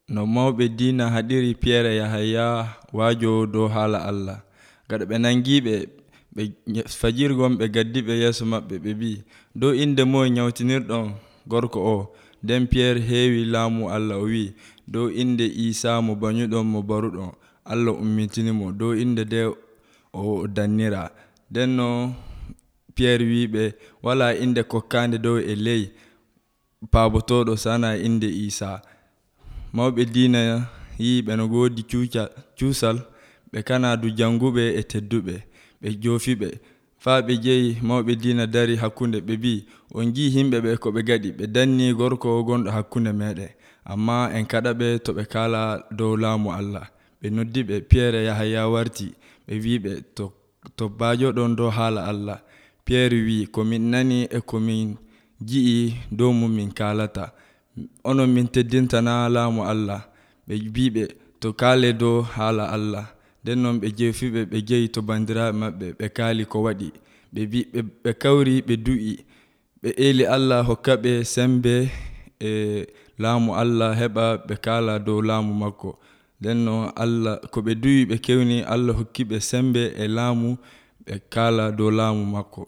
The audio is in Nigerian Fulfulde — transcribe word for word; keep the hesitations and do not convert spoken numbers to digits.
no mawɓe diina haɗiri Piyerre e Yahaya waajo dow haala Allah. Gaɗa ɓe nangiiɓe ɓe fajirgon ɓe gaddiɓe yeeso maɓɓe ɓe mbi, dow inde moye nyawtinirɗon gorko o? Nden Piyerre heewi laamu Allah o wi, dow inde Iisaa mo banyuɗon mo baruɗon Allah ummitinimo, dow inde nde o dannira. Nden no Piyerre wiɓe walaa inde kokkaande dow e ley paabotoɗo sana inde Iisaa. Mawɓe diina yiiɓe no woodi cuusal ɓe kanaadu janguɓe e tedduɓe ɓe joofiɓe faa ɓe jeyi mawɓe diina dari hakkunde ɓe mbi, on njii himɓe ɓe ko ɓe ngaɗi, ɓe danni gorko gonɗo hakkunde meeɗen, amma en kaɗaɓe to ɓe kaala dow laamu Allah. Ɓe noddiɓe Piyerre e Yahaya warti ɓe wiɓe to, to baajoɗon dow haala Allah. Piyerre wi, ko min nani e ko min ji'i dow mum min kaalata. Onon min teddintana laamu Allah. Ɓe mbiɓe to kaale dow haala Allah. Nden non ɓe jeefiɓe ɓe jeyi to bandiraaɓe maɓɓe ɓe kaali ko waɗi. Ɓe mbi ɓe kawri ɓe du'i ɓe eeli Allah hokka ɓe sembe e laamu Allah heɓa ɓe kaala dow laamu makko. Nden non Allah ko ɓe du'i ɓe kewni Allah hokki ɓe sembe e laamu ɓe kaala dow laamu makko.